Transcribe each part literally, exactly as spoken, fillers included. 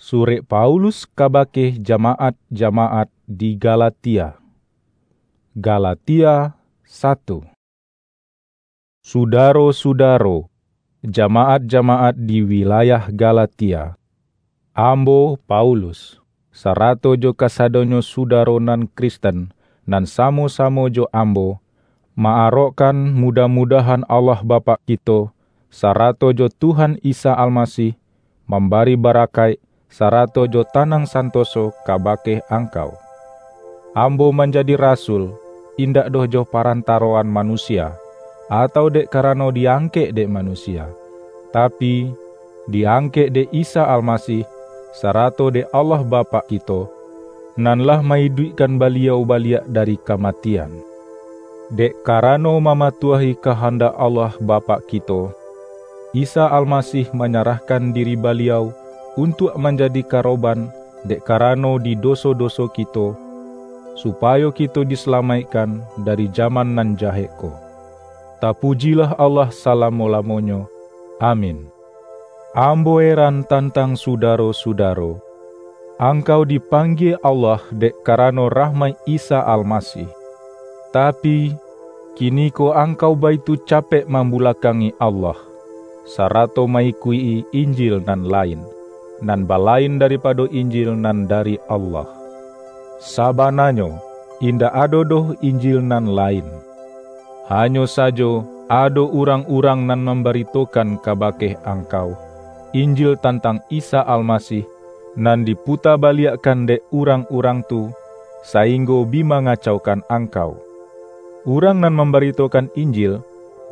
Surek Paulus kabake jamaat-jamaat di Galatia. Galatia satu. Sudaro-sudaro, jamaat-jamaat di wilayah Galatia, ambo, Paulus, sarato jo kasadonyo sudaro nan Kristen, nan samo-samo jo ambo, ma-arokkan mudah-mudahan Allah Bapak kito, sarato jo Tuhan Isa Almasih, mambari barakaik, sarato jo tanang santoso kabake angkau. Ambo manjadi rasul, indak doh jo parantaroan manusia, atau dek karano diangkek dek manusia, tapi, diangkek dek Isa Almasih, sarato dek Allah Bapak kito, nan lah ma-iduikkan Baliau baliak dari kamatian. Dek karano mamatuahi kahandak Allah Bapak kito, Isa Almasih manyarahkan diri Baliau untuak manjadi karoban dek karano di doso-doso kito, supayo kito disalamaikkan dari jaman nan jahek ko. Tapujilah Allah salamo-lamonyo! Amin. Ambo eran tantang sudaro-sudaro. Angkau dipanggie Allah dek karano rahmaik Isa Almasih. Tapi, kiniko angkau baitu capek mambulakangi Allah, sarato ma-ikuik-i Injil nan lain, nan balain daripado Injil nan dari Allah. Sabananyo, indak ado doh Injil nan lain. Hanyo sajo ado urang-urang nan mambaritokan kabake angkau, Injil tantang Isa Almasih, nan diputa baliakkan dek urang-urang tu, sainggo bi mangacaukan angkau. Urang nan mambaritokan Injil,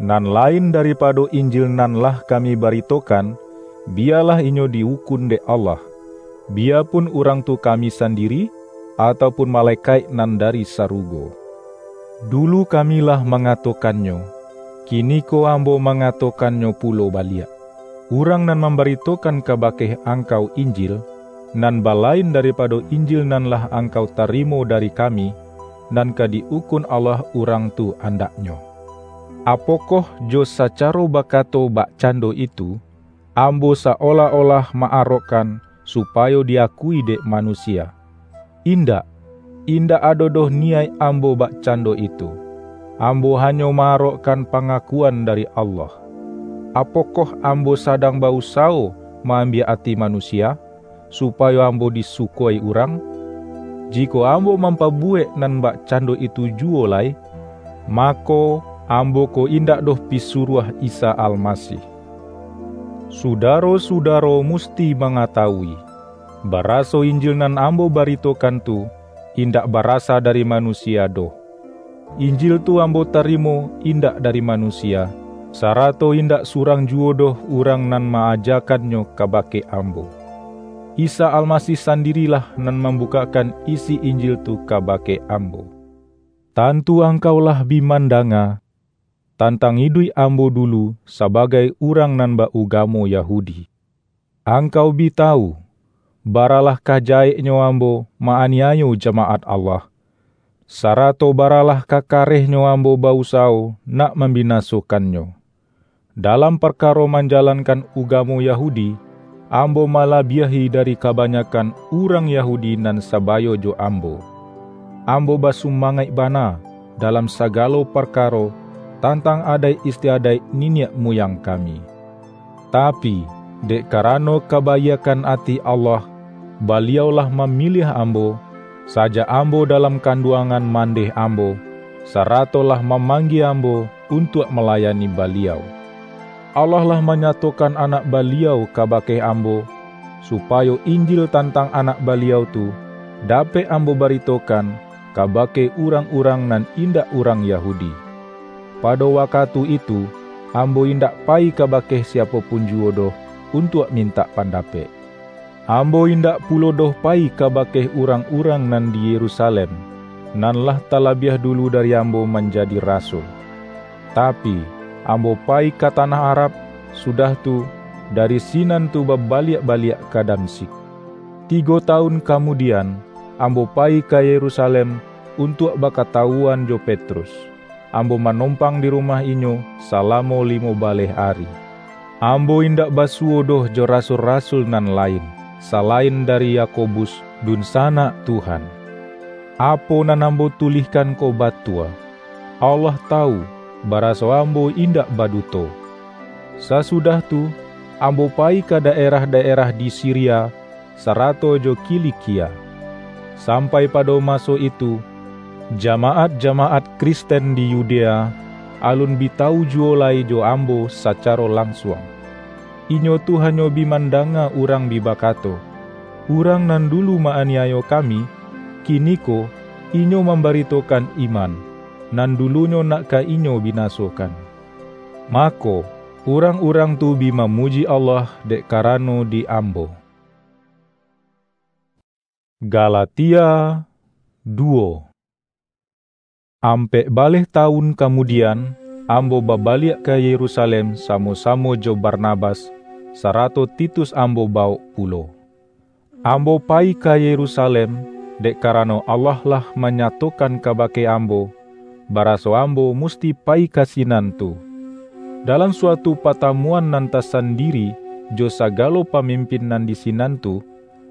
nan lain daripado Injil nan lah kami baritokan, biyalah inyo di-ukun dek Allah, biyapun urang tu kami sandiri, atau pun malekaik nan dari sarugo. Dulu kami lah mangatokannyo, kiniko ambo mangatokannyo pulo baliak. Urang nan mambaritokan kabake angkau Injil, nan balain daripado Injil nan lah angkau tarimo dari kami, nan ka di-ukun Allah urang tu andaknyo. Apokoh jo sacaro bakato bakcando itu, ambo sa-olah-olah ma-arokkan supayo di-akui dek manusia? Indak, indak ado doh niyaik ambo bakcando itu. Ambo hanyo ma-arokkan pangakuan dari Allah. Apokoh ambo sadang ba-usawo ma-ambiak ati manusia, supayo ambo disuko-i urang? Jikok ambo mampabuwek nan bakcando itu juwo lai, mako, ambo ko indak doh pisuruah Isa Almasih. Sudaro-sudaro musti mangatawui, baraso Injil nan ambo baritokan tu, indak barasa dari manusia doh. Injil tu ambo tarimo indak dari manusia, sarato indak surang juwo doh urang nan ma-ajakannyo kabake ambo. Isa Almasih sandirilah nan mambukakkan isi Injil tu kabake ambo. Tantu angkau lah bi mandanga tantang iduik ambo dulu sabagai urang nan ba-ugamo Yahudi. Angkau bi tawu, baralah ka jaheknyo ambo ma-aniayo jamaat Allah, sarato baralah ka karehnyo ambo ba-usawo nak mambinasokannyo. Dalam parkaro manjalankan ugamo Yahudi, ambo malabiahi dari kabanyakan urang Yahudi nan sabayo jo ambo. Ambo basumangaik bana dalam sagalo parkaro tantang adaik istiadaik niniak muyang kami. Tapi, dek karano kabaiakkan ati Allah, Baliau lah mamiliah ambo, sajak ambo dalam kanduangan mandeh ambo, sarato lah mamanggie ambo untuak malayani Baliau. Allah lah manyatokan Anak Baliau kabake ambo, supayo Injil tantang Anak Baliau tu dapek ambo baritokan kabake urang-urang nan indak urang Yahudi. Pado wakatu itu, ambo indak payi kabake siapo pun juwo doh untuak mintak pandapek. Ambo indak pulo doh payi kabake urang-urang nan di Yerusalem, nan lah talabiah dulu dari ambo manjadi rasul. Tapi, ambo payi ka tanah Arab, sudah tu, dari sinan tu babaliak-baliak ka Damsyik. Tigo tawun kamudian, ambo payi ka Yerusalem untuak bakatawuan jo Petrus. Ambo manompang di rumah inyo salamo limo baleh ari. Ambo indak basuwo doh jo rasul-rasul nan lain, salain dari Yakobus, dunsanak Tuhan. Apo nan ambo tulihkan ko batua. Allah tawu, baraso ambo indak baduto. Sasudah tu, ambo payi ka daerah-daerah di Siria, sarato jo Kilikia. Sampai pado maso itu, jamaat-jamaat Kristen di Yudea alun bi tawu juwo lai jo ambo sacaro lansuang. Inyo tu hanyo bi mandanga urang bi bakato, "Urang nan dulu ma-aniayo kami, kiniko inyo mambaritokan iman, nan dulunyo nak ka inyo binasokan." Mako, urang-urang tu bi mamuji Allah dek karano di ambo. Galatia duo. Ampek baleh tawun kamudian, ambo babaliak ka Yerusalem samo-samo jo Barnabas, sarato Titus ambo bawok pulo. Ambo payi ka Yerusalem, dek karano Allah lah manyatokan kabake ambo, baraso ambo musti payi ka sinan tu. Dalam suatu patamuan nan tasandiri jo sagalo pamimpin nan di sinan tu,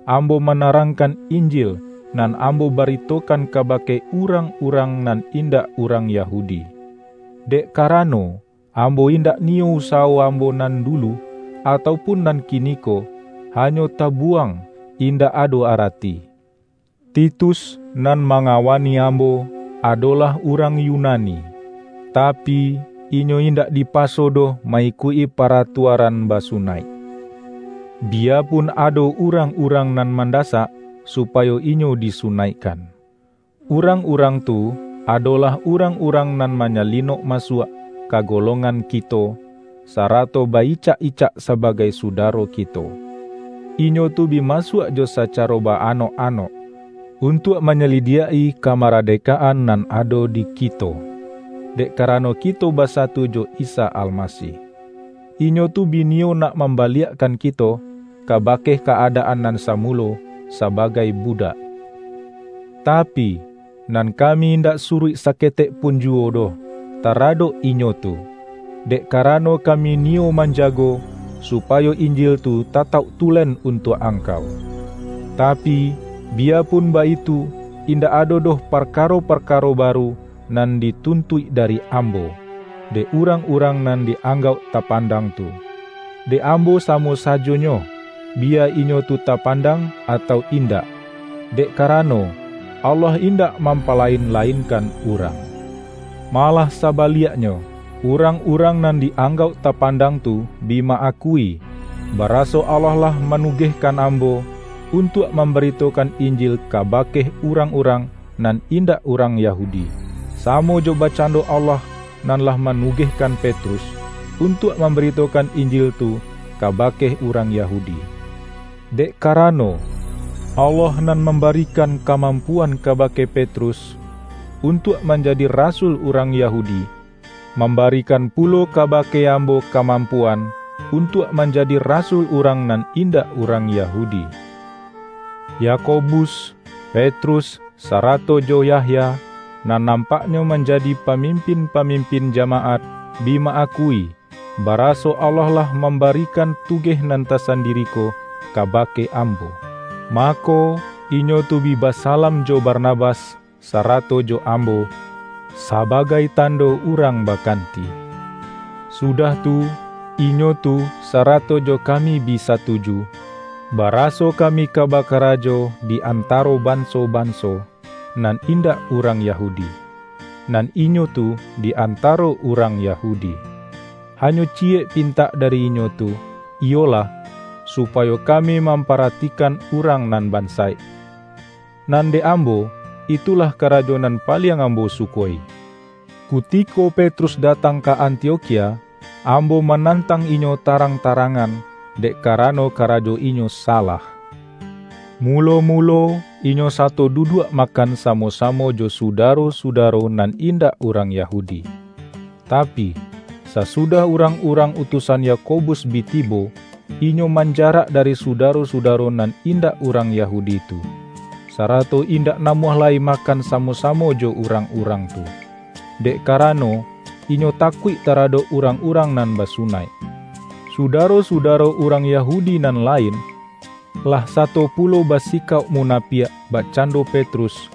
ambo manarangkan Injil nan ambo baritokan kabake urang-urang nan indak urang Yahudi. Dek karano, ambo indak niyo usawo ambo nan dulu, atau pun nan kiniko, hanyo tabuwang, indak ado arati. Titus nan mangawani ambo adolah urang Yunani, tapi, inyo indak dipaso doh ma-ikuik-i paratuaran basunaik. Biyapun ado urang-urang nan mandasak, supayo inyo disunaikkan. Urang-urang tu adolah urang-urang nan manyalinok masuak ka golongan kito, sarato ba-icak-icak sabagai sudaro kito. Inyo tu bi masuak jo sacaro ba-anok-anok, untuak manyalidiak-i kamaradekaan nan ado di kito, dek karano kito basatu jo Isa Almasih. Inyo tu bi niyo nak mambaliakkan kito kabake ka-adaan nan samulo sabagai budak. Tapi, nan kami indak suruik saketek pun juwo doh taradok inyo tu, dek karano kami niyo manjago, supayo Injil tu tatauk tulen untuak angkau. Tapi, biyapun baitu, indak ado doh parkaro-parkaro baru nan dituntuik dari ambo, dek urang-urang nan di-anggauk tapandang tu. Dek ambo samo sajonyo, biya inyo tu tapandang atau indak, dek karano, Allah indak mampalain-lainkan urang. Malah sabaliaknyo, urang-urang nan di-anggauk tapandang tu bi ma-akui, baraso Allah lah manugehkan ambo untuak mambaritokan Injil kabake urang-urang nan indak urang Yahudi, samo jo bakcando Allah nan lah manugehkan Petrus untuak mambaritokan Injil tu kabake urang Yahudi. Dek karano, Allah nan mambarikan kamampuan kabake Petrus untuak manjadi rasul urang Yahudi, mambarikan pulo kabake ambo kamampuan untuak manjadi rasul urang nan indak urang Yahudi. Yakobus, Petrus, sarato jo Yahya, nan nampaknyo manjadi pamimpin-pamimpin jamaat, bi ma-akui, baraso Allah lah mambarikan tugeh nan tasandiri ko kabake ambo. Mako, inyo tu bi basalam jo Barnabas, sarato jo ambo, sabagai tando urang bakanti. Sudah tu, inyo tu sarato jo kami bi satuju, baraso kami ka bakarajo di antaro banso-banso nan indak urang Yahudi, nan inyo tu di antaro urang Yahudi. Hanyo ciyek pintak dari inyo tu, iyolah, supayo kami mamparatikan urang nan bansaik. Nan dek ambo, itulah karajo nan paliang ambo sukoi. Kutiko Petrus datang ka Antiokhia, ambo manantang inyo tarang-tarangan, dek karano karajo inyo salah. Mulo-mulo, inyo sato duduak makan samo-samo jo sudaro-sudaro nan indak urang Yahudi. Tapi, sasudah urang-urang utusan Yakobus bi tibo, inyo manjarak dari sudaro-sudaro nan indak urang Yahudi tu, sarato indak namuah lai makan samo-samo jo urang-urang tu, dek karano, inyo takuik taradok urang-urang nan basunaik. Sudaro-sudaro urang Yahudi nan lain, lah sato pulo basikauk munapiak bakcando Petrus,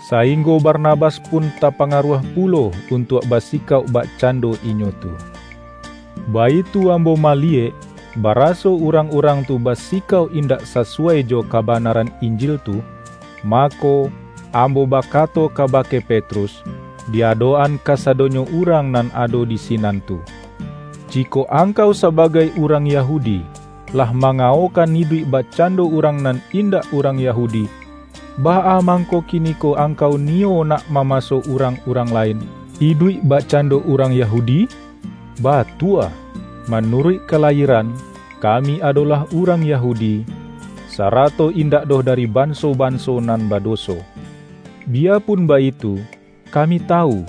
sainggo Barnabas pun tapangaruah pulo untuak basikauk bakcando inyo tu. Baitu ambo maliyek, baraso urang-urang tu basikauk indak sasuai jo kabanaran Injil tu, mako, ambo bakato kabake Petrus, di adok-an kasadonyo urang nan ado di sinan tu, "Jikok angkau sabagai urang Yahudi, lah mangaokan iduik bakcando urang nan indak urang Yahudi, baa mangko kiniko angkau niyo nak mamaso urang-urang lain iduik bakcando urang Yahudi? Batua, manuruik kalayieran, kami adolah urang Yahudi, sarato indak doh dari banso-banso nan badoso. Biyapun baitu, kami tawu,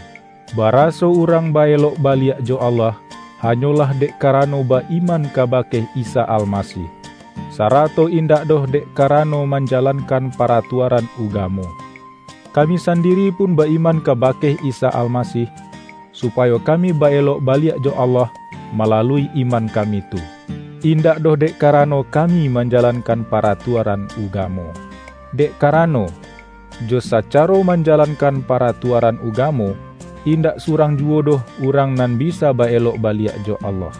baraso urang ba-elok baliak jo Allah, hanyolah dek karano ba-iman kabake Isa Almasih, sarato indak doh dek karano manjalankan paratuaran ugamo. Kami sandiri pun ba-iman kabake Isa Almasih, supayo kami ba-elok baliak jo Allah malalui iman kami tu, indak doh dek karano kami manjalankan paratuaran ugamo. Dek karano, jo sacaro manjalankan paratuaran ugamo, indak surang juwo doh urang nan bisa ba-elok baliak jo Allah.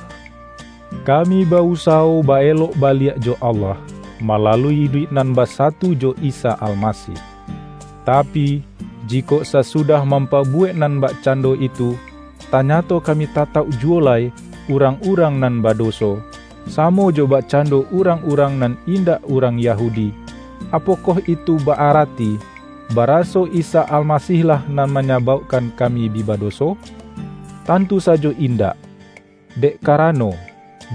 Kami ba-usawo ba-elok baliak jo Allah, malalui iduik nan basatu jo Isa Almasih. Tapi, jikok sasudah mampabuwek nan bakcando itu, tanyato kami tatauk juwo lai urang-urang nan badoso, samo jo bakcando urang-urang nan indak urang Yahudi, apokoh itu ba-arati, baraso Isa Almasihlah nan manyabaukkan kami bi badoso? Tantu sajo indak! Dek karano,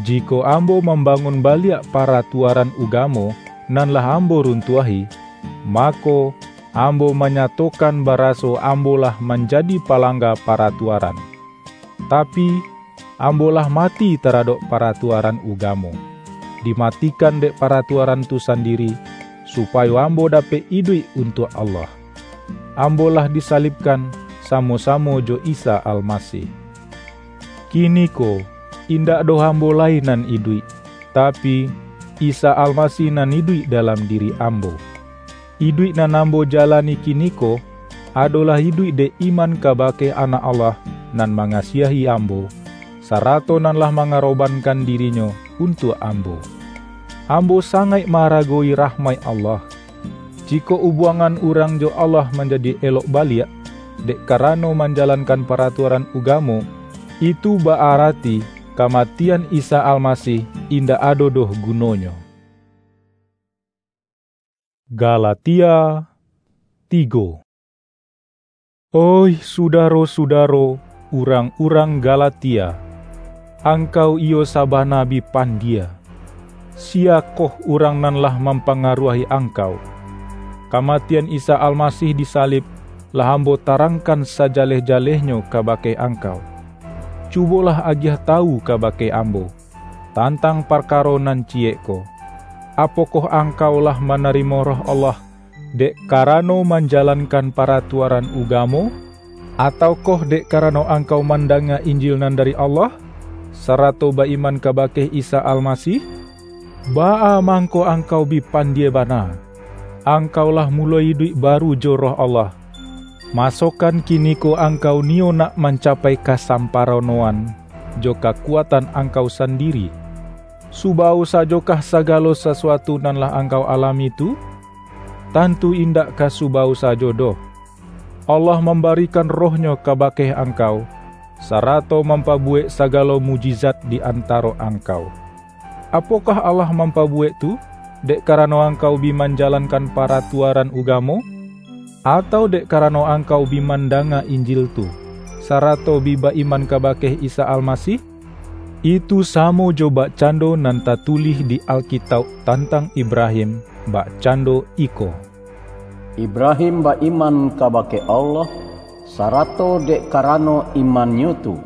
jikok ambo mambangun baliak paratuaran ugamo nan lah ambo runtuahi, mako, ambo manyatokan baraso ambo lah manjadi palangga paratuaran. Tapi, ambo lah mati taradok paratuaran ugamo, dimatikan dek paratuaran tu sandiri, supayo ambo dapek iduik untuak Allah. Ambo lah disalibkan samo-samo jo Isa Almasih. Kiniko, indak doh ambo lai nan iduik, tapi, Isa Almasih nan iduik dalam diri ambo. Iduik nan ambo jalani kiniko, adolah iduik dek iman kabake Anak Allah nan mangasiahi ambo, sarato nan lah mangarobankan diri-Nyo untuak ambo. Ambo sangaik ma-aragowi rahmaik Allah. Jikok ubuangan urang jo Allah manjadi elok baliak, dek karano manjalankan paratuaran ugamo, itu ba-arati kamatian Isa Almasih indak ado doh gunonyo. Galatia tigo. Oih sudaro-sudaro, urang-urang Galatia, angkau iyo sabana bi pandie! Siyakoh urang nan lah mampangaruahi angkau? Kamatian Isa Almasih di salib lah ambo tarangkan sajaleh-jalehnyo kabake angkau. Cubolah agiah tawu kabake ambo, tantang parkaro nan ciyek ko. Apokoh angkau lah manarimo Roh Allah dek karano manjalankan paratuaran ugamo, ataukoh dek karano angkau mandanga Injil nan dari Allah, sarato ba-iman kabake Isa Almasih? Baa mangko angkau bi pandie bana! Angkau lah muloi iduik baru jo Roh Allah. Masokan kiniko angkau niyo nak mancapai kasamparonoan jo kakuatan angkau sandiri? Subawo sajokah sagalo sasuatu nan lah angkau alami tu? Tantu indak ka subawo sajo doh. Allah mambarikan Roh-Nyo kabake angkau, sarato mampabuwek sagalo mukjizat di antaro angkau. Apokoh Allah mampabuwek tu, dek karano angkau bi manjalankan paratuaran ugamo, atau dek karano angkau bi mandanga Injil tu, sarato bi ba-iman kabake Isa Almasih? Itu samo jo bakcando nan tatulih di Alkitauk tantang Ibrahim, bakcando iko, "Ibrahim ba-iman kabake Allah, sarato dek karano imannyo tu,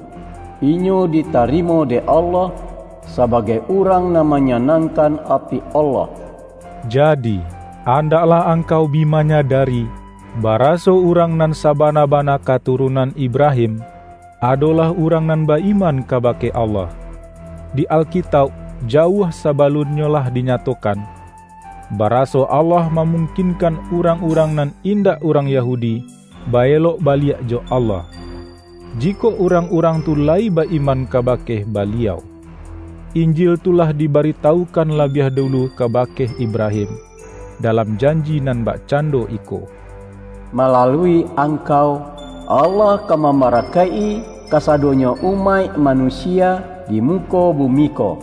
inyo ditarimo dek Allah sabagai urang nan manyanangkan ati Allah." Jadi, andaklah angkau bi manyadari, baraso urang nan sabana-bana katurunan Ibrahim, adolah urang nan ba-iman kabake Allah. Di Alkitauk, jauah sabalunnyo lah dinyatokan, baraso Allah mamungkinkan urang-urang nan indak urang Yahudi baelok baliak jo Allah, jikok urang-urang tu layi ba-iman kabake Baliau. Injil tu lah dibaritaukan labiah dulu kabake Ibrahim, dalam janji nan bakcando iko, "Malalui angkau, Allah ka mambarakaik-i kasadonyo umaik manusia di muko bumi ko."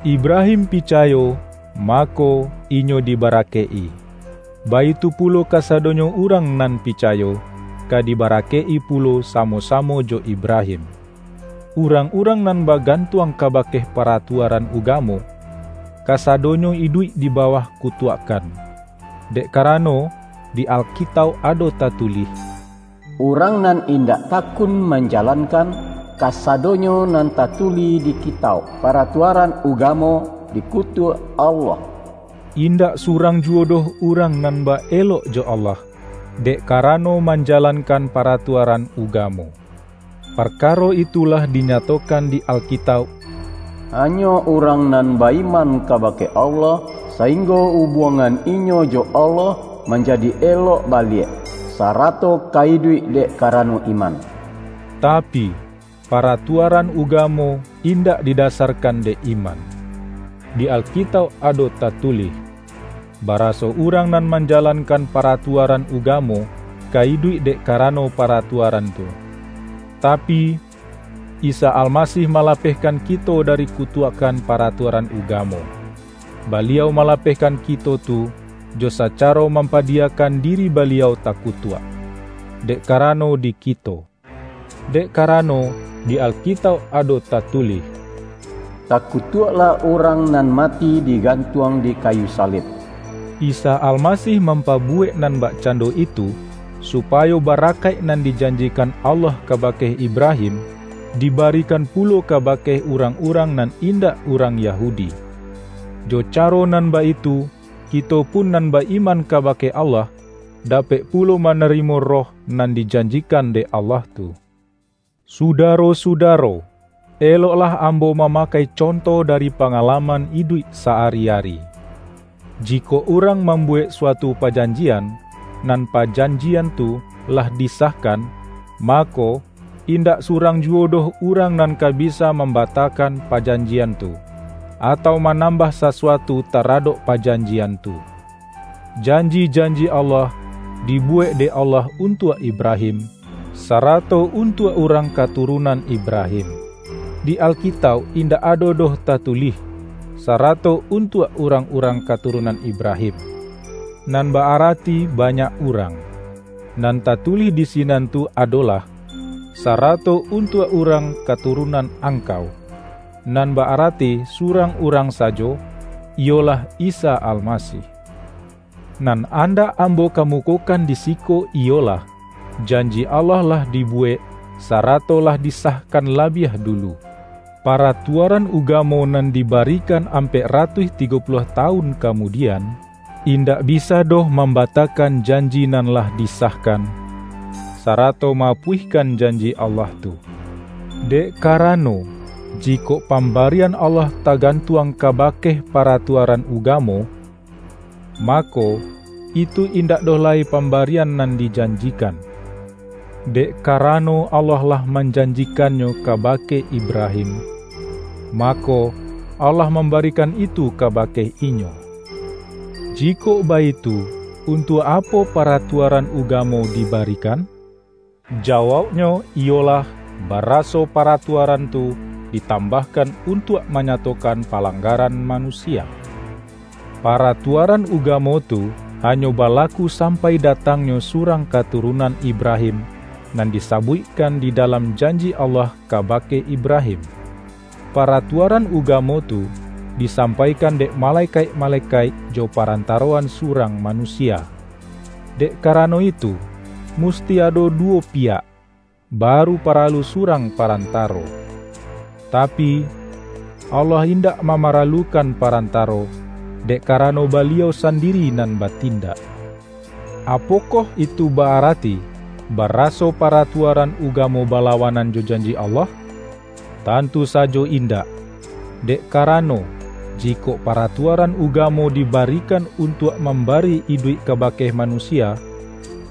Ibrahim picayo, mako, inyo dibarakaik-i. Baitu pulo kasadonyo urang nan picayo, ka dibarakaik-i pulo samo-samo jo Ibrahim. Urang-urang nan bagantuang kabake paratuaran ugamo, kasadonyo iduik di bawah kutuakan. Dek karano, di Alkitauk ado tatulih, "Urang nan indak takun manjalankan kasadonyo nan tatulih di Kitauk Paratuaran Ugamo, dikutuak Allah." Indak surang juwo doh urang nan baelok jo Allah, dek karano manjalankan paratuaran ugamo. Parkaro itu lah dinyatokan di Alkitauk, "Hanyo urang nan ba-iman kabake Allah, sainggo ubuangan inyo jo Allah manjadi elok baliak, sarato ka iduik dek karano iman." Tapi, paratuaran ugamo indak didasarkan dek iman. Di Alkitauk ado tatulih, baraso urang nan manjalankan paratuaran ugamo ka iduik dek karano paratuaran tu. Tapi, Isa Almasih malapehkan kito dari kutuakan paratuaran ugamo. Baliau malapehkan kito tu, jo sacaro mampadiyakan diri Baliau takutuak, dek karano di kito. Dek karano, di Alkitauk ado tatulih, "Takutuaklah urang nan mati digantuang di kayu salib." Isa Almasih mampabuwek nan bakcando itu, supayo barakaik nan dijanjikan Allah kabake Ibrahim, dibarikan pulo kabake urang-urang nan indak urang Yahudi. Jo caro nan baitu, kito pun nan ba-iman kabake Allah, dapek pulo manarimo Roh nan dijanjikan dek Allah tu. Sudaro-sudaro, eloklah ambo mamakai conto dari pangalaman iduik sa-ari-ari. Jikok urang mambuwek suatu pajanjian, nan pajanjian tu lah disahkan, mako, indak surang juwo doh urang nan ka bisa mambatakan pajanjian tu, atau manambah sasuatu taradok pajanjian tu. Janji-janji Allah dibuwek dek Allah untuak Ibrahim, sarato untuak urang katurunan Ibrahim. Di Alkitauk indak ado doh tatulih, "Sarato untuak urang-urang katurunan Ibrahim," nan ba-arati banyak urang. Nan tatulih di sinan tu adolah, "Sarato untuak urang katurunan angkau," nan ba-arati surang urang sajo, iyolah Isa Almasih. Nan andak ambo kamukokan di siko iyolah, janji Allah lah dibuwek, sarato lah disahkan labiah dulu. Paratuaran ugamo nan dibarikan ampek ratuih tigo puluah tawun kamudian, indak bisa doh mambatakan janji nan lah disahkan, sarato maapuihkan janji Allah tu. Dek karano, jikok pambarian Allah tagantuang kabake paratuaran ugamo, mako, itu indak doh lai pambarian nan dijanjikan. Dek karano Allah lah manjanjikannyo kabake Ibrahim, mako, Allah mambarikan itu kabake inyo. Jikok baitu, untuak apo paratuaran ugamo dibarikan? Jawauknyo iyolah, baraso paratuaran tu ditambahkan untuak manyatokan palanggaran manusia. Paratuaran ugamo tu hanyo balaku sampai datangnyo surang katurunan Ibrahim, nan disabuikkan di dalam janji Allah kabake Ibrahim. Paratuaran ugamo tu disampaikan dek malekaik-malekaik jo parantaroan surang manusia. Dek karano itu, musti ado duwo piyak, baru paralu surang parantaro. Tapi, Allah indak mamaralukan parantaro, dek karano Baliau sandiri nan batindak. Apokoh itu ba-arati, baraso paratuaran ugamo balawanan jo janji Allah? Tantu sajo indak! Dek karano, Jikok paratuaran ugamo dibarikan untuak mambari iduik kabake manusia,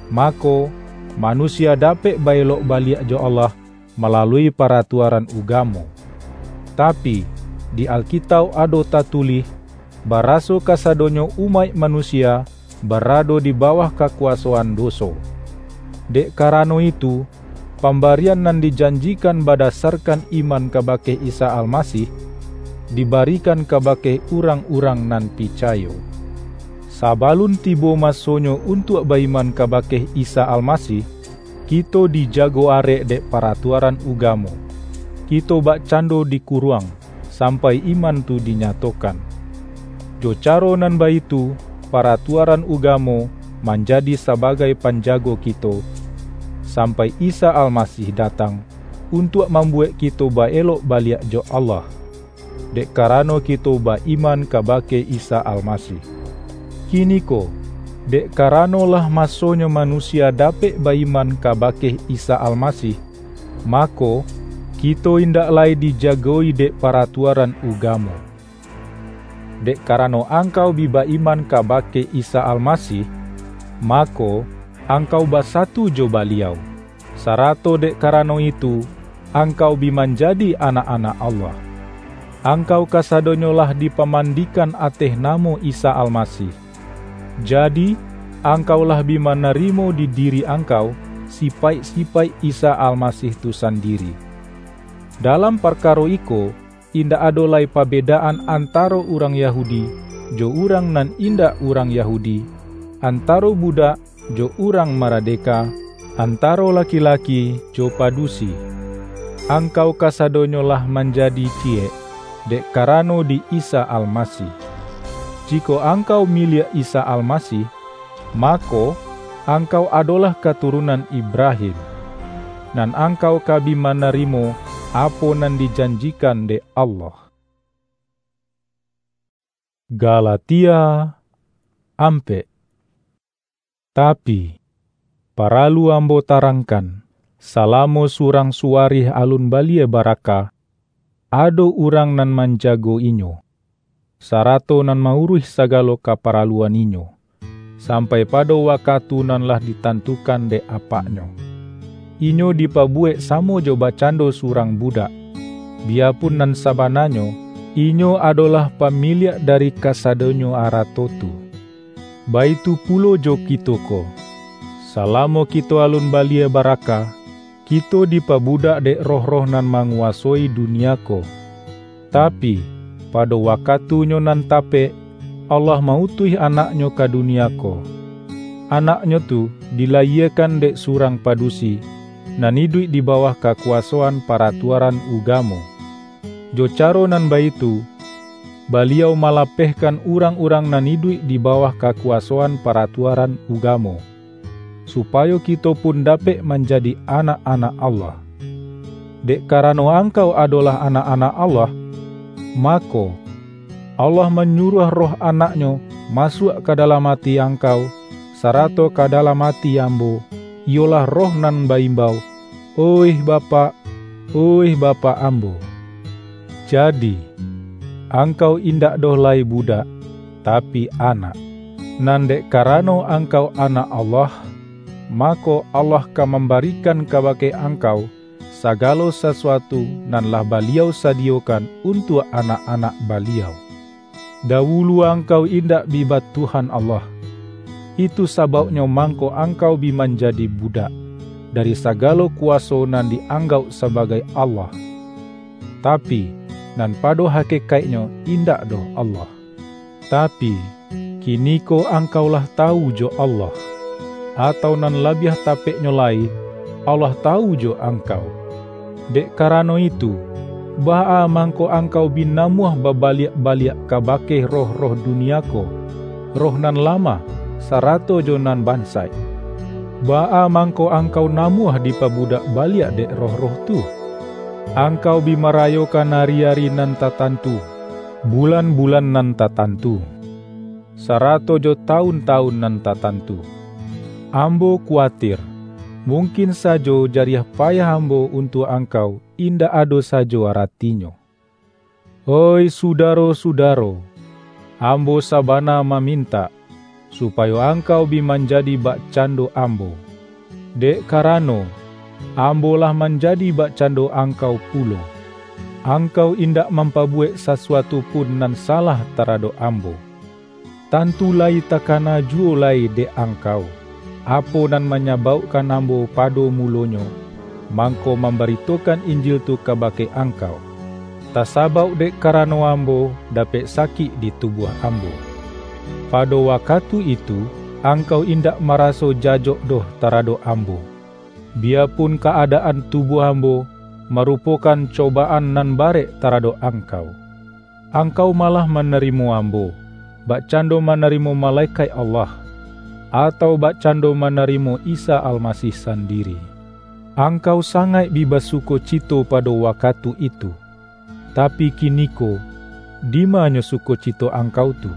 mako, manusia dapek ba-elok baliak jo Allah malalui paratuaran ugamo. Tapi, di Alkitauk ado tatulih, baraso kasadonyo umaik manusia barado di bawah kakuasoan doso. Dek karano itu, pambarian nan dijanjikan badasarkan iman kabake Isa Almasih, dibarikan kabake urang-urang nan picayo. Sabalun tibo masonyo untuak baiman kabake Isa Almasih, kito dijago arek dek paratuaran ugamo. Kito bakcando dikuruang, sampai iman tu dinyatokan. Jo caro nan baitu, paratuaran ugamo manjadi sabagai panjago kito, sampai Isa Almasih datang, untuak mambuek kito ba-elok baliak jo Allah, dek karano kito ba-iman kabake Isa Almasih. Kiniko, dek karano lah masonyo manusia dapek ba-iman kabake Isa Almasih, mako, kito indak lai dijago-i dek paratuaran ugamo. Dek karano angkau bi ba-iman kabake Isa Almasih, mako, angkau basatu jo Baliau, sarato dek karano itu, angkau bi manjadi anak-anak Allah. Angkau kasadonyo lah dipamandikan ateh namo Isa Almasih. Jadi, angkau lah bi manarimo di diri angkau sipaik-sipaik Isa Almasih tu sandiri. Dalam parkaro iko, indak ado lai pabedaan antaro urang Yahudi jo urang nan indak urang Yahudi, antaro budak jo urang maradeka, antaro laki-laki jo padusi. Angkau kasadonyo lah manjadi ciek, dek karano di Isa Almasih. Jikok angkau miliak Isa Almasih, mako, angkau adolah katurunan Ibrahim, nan angkau ka bi manarimo apo nan dijanjikan dek Allah. Galatia ampek. Tapi, paralu ambo tarangkan, salamo surang suwarih alun balie baraka, ado urang nan manjago inyo, sarato nan mauruih sagalo kaparaluan inyo, sampai pado wakatu nan lah ditantukan dek apaknyo. Inyo dipabuwek samo jo bakcando surang budak, biyapun nan sabananyo, inyo adolah pamiliak dari kasadonyo arato tu. Baitu pulo jo kito ko. Salamo kito alun balie baraka, kito dipabudak dek roh-roh nan manguwasoi dunia ko. Tapi, pado wakatunyo nan tapek, Allah ma-utuih Anak-Nyo ka dunia ko. Anak-Nyo tu dilayiekan dek surang padusi, nan iduik di bawah kakuwasoan paratuaran ugamo. Jo caro nan baitu, Baliau malapehkan urang-urang nan iduik di bawah kakuwasoan paratuaran ugamo, supayo kito pun dapek manjadi anak-anak Allah. Dek karano angkau adolah anak-anak Allah, mako, Allah manyuruah Roh Anak-Nyo masuak ka dalam ati angkau, sarato ka dalam ati ambo, iyolah Roh nan ba-imbau, "Oih Bapak, oih Bapak ambo." Jadi, angkau indak doh lai budak, tapi anak. Nan dek karano angkau anak Allah, mako, Allah ka mambarikan kabake angkau sagalo sasuatu nan lah Baliau sadiyokan untuak anak-anak Baliau. Dawulu angkau indak bi batuhan Allah. Itu sabauknyo mangko angkau bi manjadi budak, dari sagalo kuwaso nan di-anggauk sabagai Allah, tapi, nan pado hakekaiknyo indak doh Allah. Tapi, kiniko angkau lah tawu jo Allah, atau nan labiah tapeknyo lai, Allah tawu jo angkau. Dek karano itu, baa mangko angkau bi namuah babaliak-baliak kabake roh-roh dunia ko, roh nan lamah, sarato jo nan bansaik? Baa mangko angkau namuah dipabudak baliak dek roh-roh tu? Angkau bi marayokan ari-ari nan tatantu, bulan-bulan nan tatantu, sarato jo tawun-tawun nan tatantu. Ambo kuwatir, mungkin sajo jariah payah ambo untuak angkau indak ado sajo aratinyo. Oih sudaro-sudaro, ambo sabana mamintak, supayo angkau bi manjadi bakcando ambo. Dek karano, ambo lah manjadi bakcando angkau pulo. Angkau indak mampabuwek sasuatu pun nan salah taradok ambo. Tantu lai takana juwo lai dek angkau, apo nan manyabaukkan ambo pado mulonyo, mangko mambaritokan Injil tu kabake angkau, tasabauk dek karano ambo dapek sakik di tubuah ambo. Pado wakatu itu, angkau indak maraso jajok doh taradok ambo, biyapun ka-adaan tubuah ambo marupokan cobaan nan barek taradok angkau. Angkau malah manarimo ambo, bakcando manarimo malekaik Allah, atau bakcando manarimo Isa Almasih sandiri. Angkau sangaik bi basukocito pado wakatu itu, tapi kiniko, dimanyo sukocito angkau tu?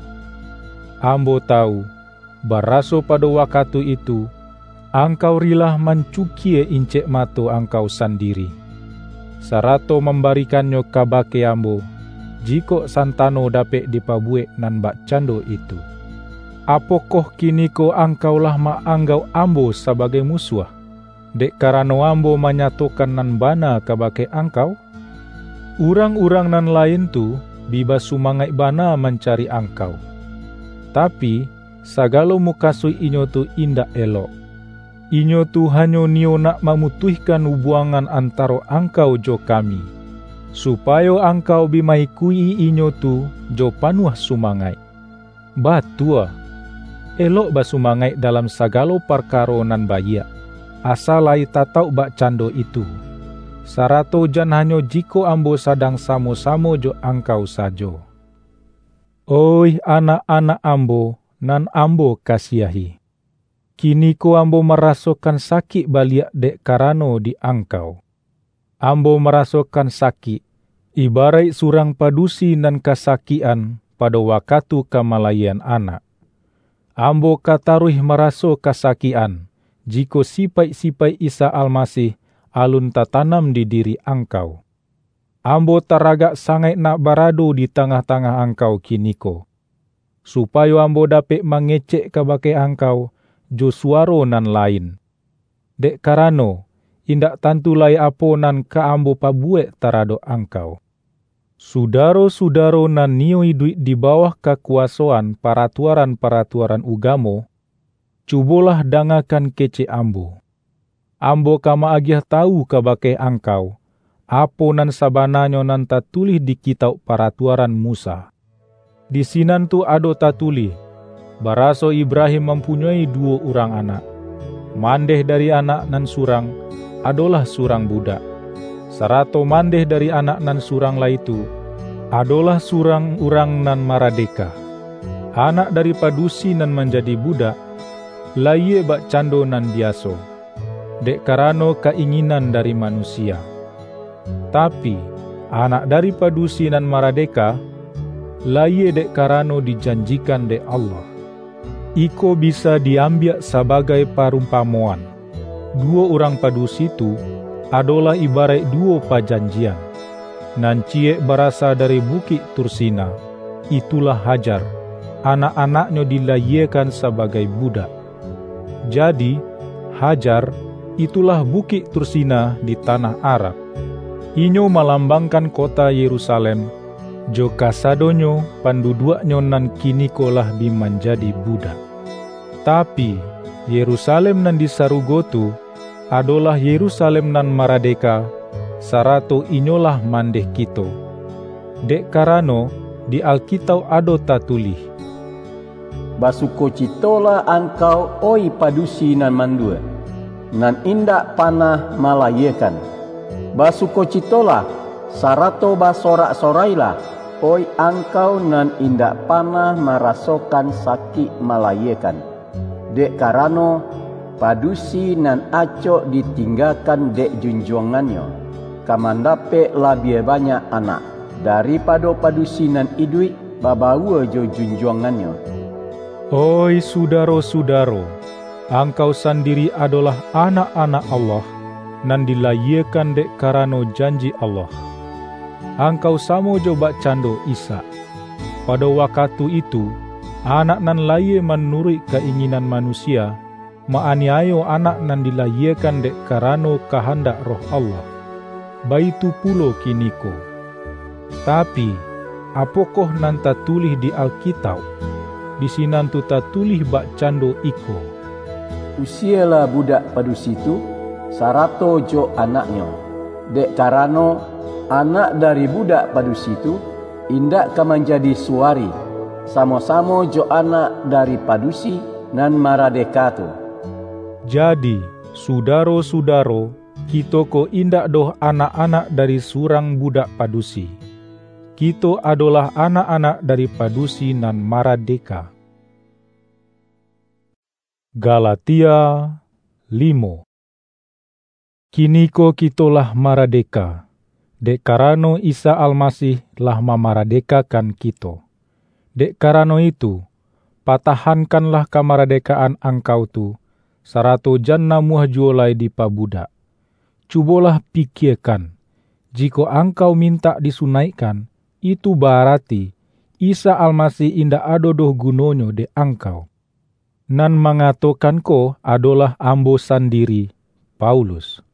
Ambo tawu, baraso pado wakatu itu, angkau rilah mancukie incek mato angkau sandiri, sarato mambarikannyo kabake ambo, jikok santano dapek dipabuwek nan bakcando itu. Apokoh kiniko angkau lah ma-anggauk ambo sabagai musuah, dek karano ambo manyatokan nan bana kabake angkau? Urang-urang nan lain tu bi basumangaik bana mancari angkau. Tapi, sagalo mukasuik inyo tu indak elok. Inyo tu hanyo niyo nak mamutuihkan ubuangan antaro angkau jo kami, supayo angkau bi ma-ikuik-i inyo tu jo panuah sumangaik. Batua, elok basumangaik dalam sagalo parkaro nan baiak, asa lai tatauk bakcando itu, sarato jan hanyo jikok ambo sadang samo-samo jo angkau sajo. Oih anak-anak ambo nan ambo kasiahi, kiniko ambo marasokan sakik baliak dek karano di angkau. Ambo marasokan sakik, ibaraik surang padusi nan kasakikan pado wakatu ka malayiekan anak. Ambo ka taruih maraso kasakikan, jikok sipaik-sipaik Isa Almasih alun tatanam di diri angkau. Ambo taragak sangaik nak barado di tangah-tangah angkau kiniko, supayo ambo dapek mangecek kabake angkau jo suwaro nan lain. Dek karano, indak tantu lai apo nan ka ambo pabuwek taradok angkau. Sudaro-sudaro nan niyo iduik di bawah kakuwasoan paratuaran-paratuaran ugamo, cubolah dangakan kecek ambo. Ambo ka ma-agiah tawu kabake angkau, apo nan sabananyo nan tatulih di Kitauk Paratuaran Musa. Di sinan tu ado tatulih, baraso Ibrahim mampunyoi duwo urang anak. Mandeh dari anak nan surang, adolah surang budak, sarato mandeh dari anak nan surang lai tu, adolah surang urang nan maradeka. Anak dari padusi nan manjadi budak, layie bakcando nan biaso, dek karano ka-inginan dari manusia. Tapi, anak dari padusi nan maradeka, layie dek karano dijanjikan dek Allah. Iko bisa di-ambiak sabagai parumpamoan. Duwo urang padusi tu adolah ibaraik duwo pajanjian. Nan ciyek barasa dari Bukik Tursina, itulah Hajar, anak-anaknyo dilayiekan sabagai budak. Jadi, Hajar, itulah Bukik Tursina di tanah Arab. Inyo malambangkan kota Yerusalem, jo kasadonyo panduduaknyo nan kiniko lah bi manjadi budak. Tapi, Yerusalem nan di sarugo tu, adolah Yerusalem nan maradeka, sarato inyolah mandeh kito. Dek karano, di Alkitauk ado tatulih, "Basukocitolah angkau, oih padusi nan mandua, nan indak panah malayiekan. Basukocitolah, sarato basorak-sorailah, oih angkau nan indak panah marasokan sakik malayiekan. Dek karano, padusi nan acok ditinggakan dek junjuangannyo, ka mandapek labiah banyak anak, daripado padusi nan iduik babaua jo junjuangannyo." Oih sudaro-sudaro, angkau sandiri adolah anak-anak Allah, nan dilayiekan dek karano janji Allah. angkau samo jo bakcando Ishak. Pado wakatu itu, anak nan layie manuruik ka-inginan manusia, ma-aniayo anak nan dilayiekan dek karano kahandak Roh Allah. Baitu pulo kiniko. Tapi, apokoh nan tatulih di Alkitauk? Di sinan tu tatulih bakcando iko, "Usielah budak padusi tu, sarato jo anaknyo, dek karano, anak dari budak padusi tu indak ka manjadi suwari, samo-samo jo anak dari padusi nan maradeka tu." Jadi, sudaro-sudaro, kito ko indak doh anak-anak dari surang budak padusi. Kito adolah anak-anak dari padusi nan maradeka. Galatia limo. Kiniko kito lah maradeka, dek karano Isa Almasih lah mamaradekakan kito. Dek karano itu, patahankanlah kamaradekaan angkau tu, sarato jan namuah juwo lai dipabudak. Cubolah pikiekan, jikok angkau mintak disunaikkan, itu baarati Isa Almasih indak ado doh gunonyo dek angkau. Nan mangatokan ko adolah ambo sandiri, Paulus.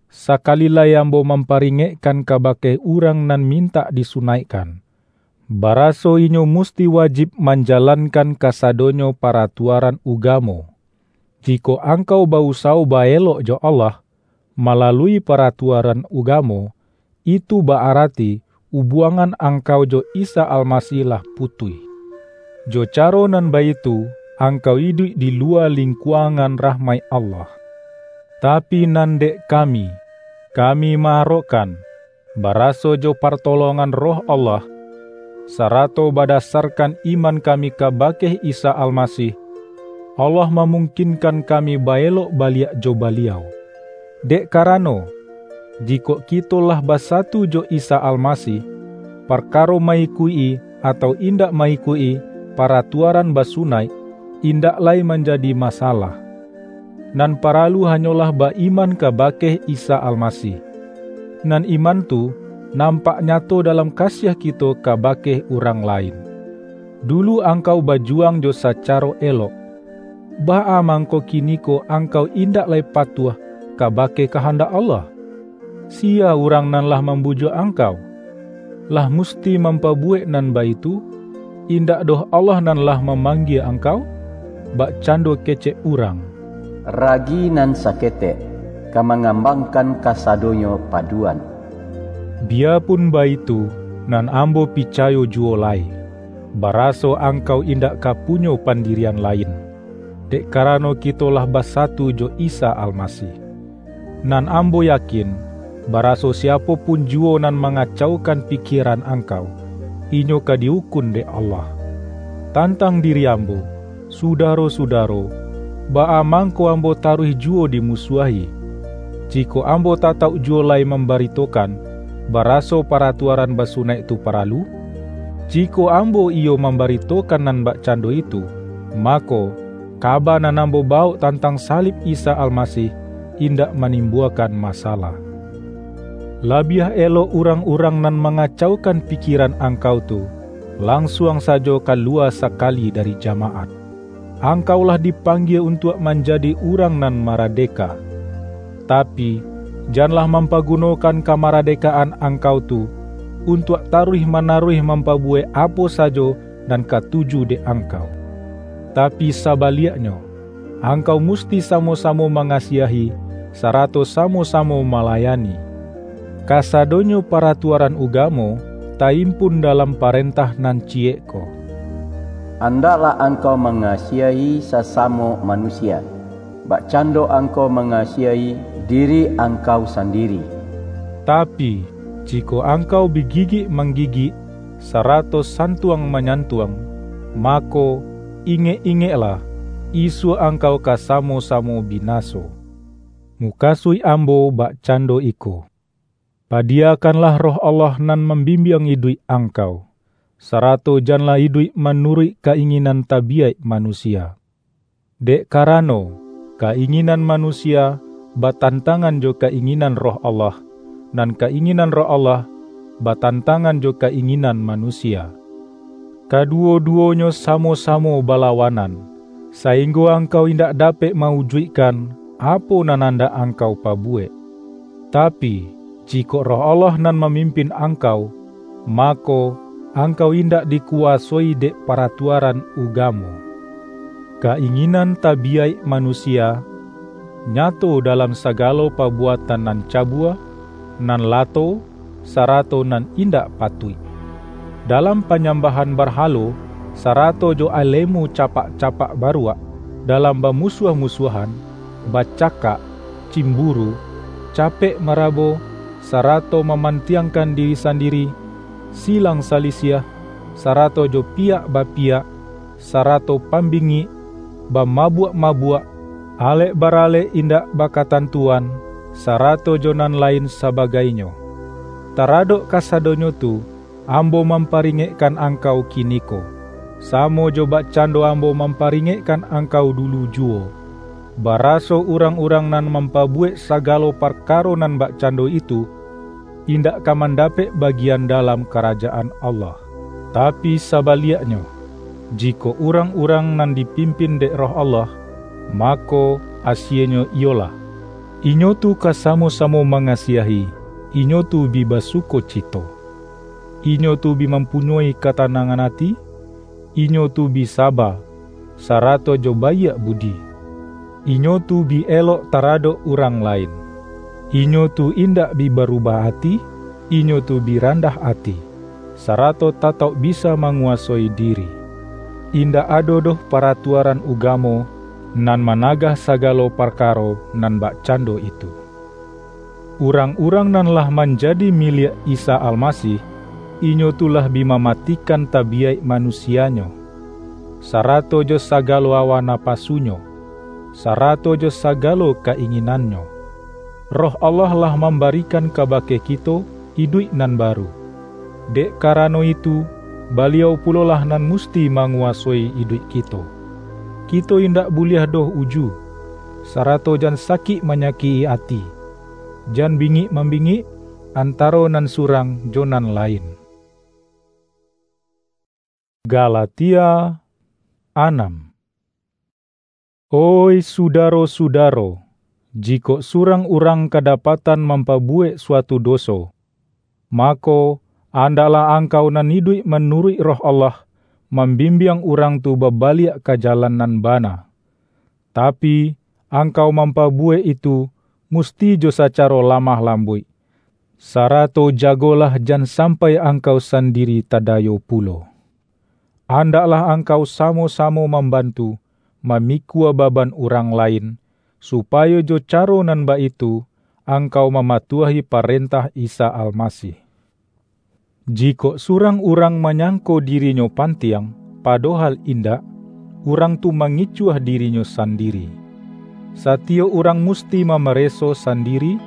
Sakali lai ambo mamparingekkan kabake urang nan mintak disunaikkan, baraso inyo musti wajib manjalankan kasadonyo paratuaran ugamo. Jikok angkau ba-usawo baelok jo Allah, malalui paratuaran ugamo, itu baarati ubuangan angkau jo Isa Almasih lah putuih, jo caro nan baitu angkau iduik di luwa lingkuangan rahmaik Allah. Tapi nan dek kami, kami maarokkan, baraso jo partolongan Roh Allah, sarato badasarkan iman kami kabake Isa Almasih, Allah mamungkinkan kami baelok baliak jo Baliau. Dek karano, jikok kito lah basatu jo Isa Almasih, parkaro maikuik-i atau indak maikuik-i paratuaran basunaik, indak lai manjadi masalah. Nan paralu hanyolah ba-iman kabake Isa Almasih. Nan iman tu nampak nyato dalam kasiah kito kabake urang lain. Dulu angkau bajuwang jo sacaro elok. Baa mangko kiniko angkau indak lai patuah kabake kahandak Allah? Sia urang nan lah mambujuak angkau? Lah musti mampabuwek nan baitu? Indak doh Allah nan lah mamanggie angkau? Bakcando kecek urang, "Ragi nan saketek ka mangambangkan kasadonyo paduan." Biyapun baitu, nan ambo picayo juwo lai, baraso angkau indak ka punyo pandirian lain, dek karano kito lah basatu jo Isa Almasih. Nan ambo yakin, baraso siapo pun juwo nan mangacaukan pikieran angkau, inyo ka di-ukun dek Allah. Tantang diri ambo, sudaro-sudaro, baa mangko ambo taruih juwo dimusuahi? Jikok ambo tatauk juwo lai mambaritokan, baraso paratuaran basunaik tu paralu? Jikok ambo iyo mambaritokan nan bakcando itu, mako, kaba nan ambo bawok tantang salib Isa Almasih indak manimbuakan masalah. Labiah elok urang-urang nan mangacaukan pikieran angkau tu, lansuang sajo kaluwa sakali dari jamaat. Angkau lah dipanggie untuak manjadi urang nan maradeka. Tapi, janlah mampagunokan kamaradekaan angkau tu, untuak taruih-manaruih mampabuwek apo sajo nan katuju dek angkau. Tapi sabaliaknyo, angkau musti samo-samo mangasiahi, sarato samo-samo malayani. Kasadonyo paratuaran ugamo taimpun dalam parentah nan ciyek ko, "Andaklah angkau mangasiahi sasamo manusia, bakcando angkau mangasiahi diri angkau sandiri." Tapi, jikok angkau bigigik-manggigik, sarato santuang-manyantuang, mako, ingek-ingeklah, isuak angkau ka samo-samo binaso. Mukasuik ambo bakcando iko, padiyakanlah Roh Allah nan mambimbiang iduik angkau, sarato janlah iduik manuruik ka-inginan tabiyaik manusia. Dek karano, ka-inginan manusia batantangan jo ka-inginan Roh Allah, nan ka-inginan Roh Allah batantangan jo ka-inginan manusia. Kaduwo-duwonyo samo-samo balawanan, sainggo angkau indak dapek mawujuikkan apo nan andak angkau pabuwek. Tapi, jikok Roh Allah nan mamimpin angkau, mako, angkau indak dikuwasoi dek paratuaran ugamo. Ka-inginan tabiyaik manusia nyato dalam sagalo pabuatan nan cabua, nan lato, sarato nan indak patuik. Dalam panyambahan barhalo, sarato jo alemu capak-capak baruak, dalam bamusuah-musuahan, bacakak, cimburu, capek marabo, sarato mamantiangkan diri sandiri, silang salisiah, sarato jo piyak bapiyak, sarato pambingik, bamabuak-mabuak, alek baralek indak bakatantuan, sarato jo nan lain sabagainyo. Taradok kasadonyo tu, ambo mamparingekkan angkau kiniko, samo jo bakcando ambo mamparingekkan angkau dulu juwo, baraso urang-urang nan mampabuwek sagalo parkaro nan bakcando itu, indak ka mandapek bagian dalam Karajaan Allah. Tapi sabaliaknyo, jikok urang-urang nan dipimpin dek Roh Allah, mako, asienyo iyolah: inyo tu ka samo-samo mangasiahi, inyo tu bi basukocito, inyo tu bi mampunyoi katanangan ati, inyo tu bi saba, sarato jo baiak budi. Inyo tu bi elok taradok urang lain. Inyo tu indak bi barubah ati, inyo tu bi randah ati, sarato tatauk bisa manguwasoi diri. Indak ado doh paratuaran ugamo nan managah sagalo parkaro nan bakcando itu. Urang-urang nan lah manjadi miliak Isa Almasih, inyo tu lah bi mamatikan tabiyaik manusianyo, sarato jo sagalo awa napasunyo, sarato jo sagalo ka-inginannyo. Roh Allah lah mambarikan kabake kito iduik nan baru. Dek karano itu, Baliau pulolah nan musti manguwasoi iduik kito. Kito indak buliah doh uju, sarato jan sakik manyakik-i ati, jan bingik-mambingik antaro nan surang jo nan lain. Galatia anam. Oih sudaro-sudaro, jikok surang urang kadapatan mampabuwek suatu doso, mako, andaklah angkau nan iduik manuruik Roh Allah, mambimbiang urang tu babaliak ka jalan nan bana. Tapi, angkau mampabuwek itu musti jo sacaro lamah lambuik, sarato jagolah jan sampai angkau sandiri tadayo pulo. Andaklah angkau samo-samo mambantu, mamikua baban urang lain, supayo jo caro nan baitu angkau mamatuahi parentah Isa Almasih. Jikok surang urang manyangko dirinyo pantiang, padohal indak, urang tu mangicuah dirinyo sandiri. Satiyok urang musti mamareso sandiri,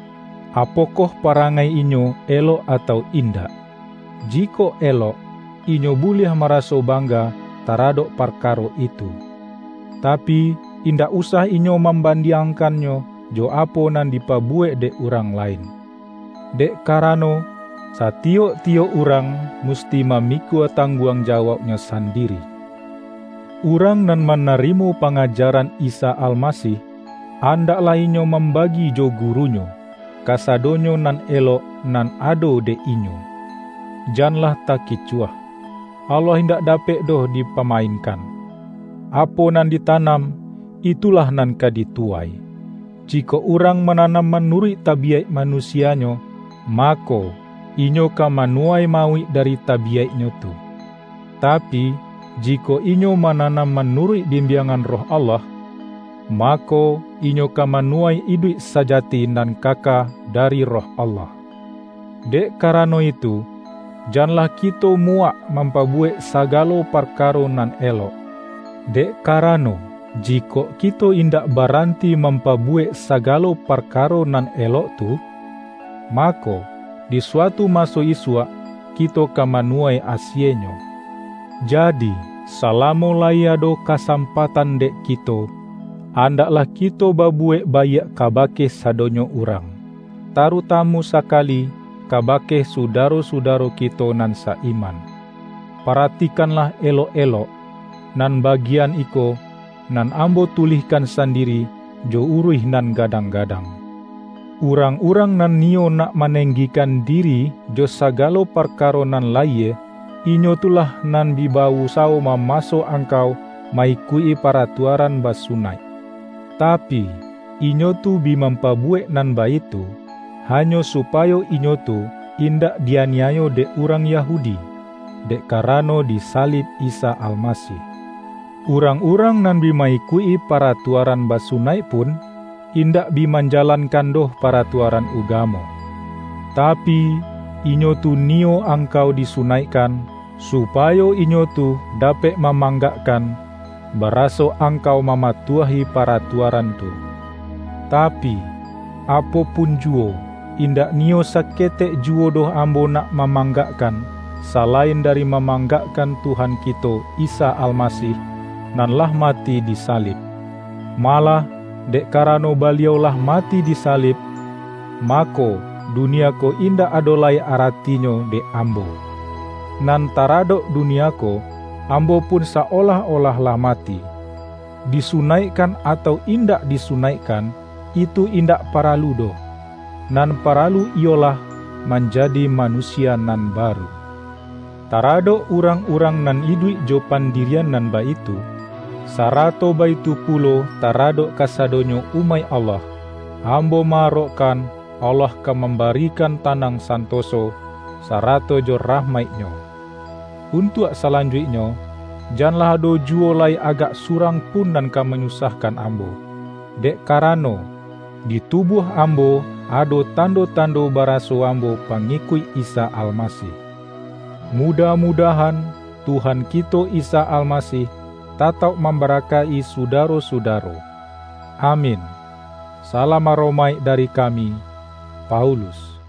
apokoh parangai inyo elok atau indak. Jikok elok, inyo buliah maraso bangga taradok parkaro itu. Tapi, indak usah inyo mambandiangkannyo jo apo nan dipabuwek dek urang lain. Dek karano, satiyok-tiyok urang musti mamikua tangguang jawauknyo sandiri. Urang nan manarimo pangajaran Isa Almasih, andaklah inyo mambagi jo gurunyo, kasadonyo nan elok nan ado dek inyo. Janlah takicuah. Allah indak dapek doh dipamainkan. Apo nan ditanam, itulah nan ka dituwai. Jikok urang mananam manuruik tabiyaik manusianyo, mako, inyo ka manuwai mauik dari tabiyaiknyo tu. Tapi, jikok inyo mananam manuruik bimbiangan Roh Allah, mako, inyo ka manuwai iduik sajati nan kaka dari Roh Allah. Dek karano itu, janlah kito muwak mampabuwek sagalo parkaro nan elok. Dek karano, jikok kito indak baranti mampabuwek sagalo parkaro nan elok tu, mako, di suatu maso isuak, kito ka manuwai asienyo. Jadi, salamo lai ado kasampatan dek kito, andaklah kito babuwek baiak kabake sadonyo urang, tarutamu sakali kabake sudaro-sudaro kito nan sa-iman. Paratikanlah elok-elok, nan bagian iko, nan ambo tulihkan sandiri jo uruih nan gadang-gadang. Urang-urang nan niyo nak manenggikan diri jo sagalo parkaro nan layie, inyo tu lah nan bi ba-usawo mamaso angkau ma-ikuik-i paratuaran basunaik. Tapi, inyo tu bi mampabuwek nan baitu, hanyo supayo inyo tu indak di-aniayo dek urang Yahudi, dek karano disalib Isa Almasih. Urang-urang nan bi ma-ikuik-i paratuaran basunaik pun, indak bi manjalankan doh paratuaran ugamo. Tapi, inyo tu niyo angkau disunaikkan, supayo inyo tu dapek mamanggakkan, baraso angkau mamatuahi paratuaran tu. Tapi, apo pun juwo, indak niyo saketek juwo doh ambo nak mamanggakkan, salain dari mamanggakkan Tuhan kito Isa Almasih, nan lah mati disalib. Malah, dek karano Baliau lah mati disalib, mako, dunia ko indak ado lai aratinyo dek ambo. Nan taradok dunia ko, ambo pun sa-olah-olah lah mati. Disunaikkan atau indak disunaikkan, itu indak paralu doh. Nan paralu iyolah manjadi manusia nan baru. Taradok urang-urang nan iduik jo pandirian nan baitu, sarato baitu pulo taradok kasadonyo umaik Allah, ambo ma-arokkan Allah ka mambarikan tanang santoso, sarato jo rahmaik-Nyo. Untuak salanjuiknyo, janlah ado juwo lai agak surang pun nan ka manyusahkan ambo, dek karano, di tubuah ambo ado tando-tando baraso ambo pangikuik Isa Almasih. Mudah-mudahan Tuhan kito Isa Almasih tatauk mambarakaik-i sudaro-sudaro. Amin. Salam aromaik dari kami, Paulus.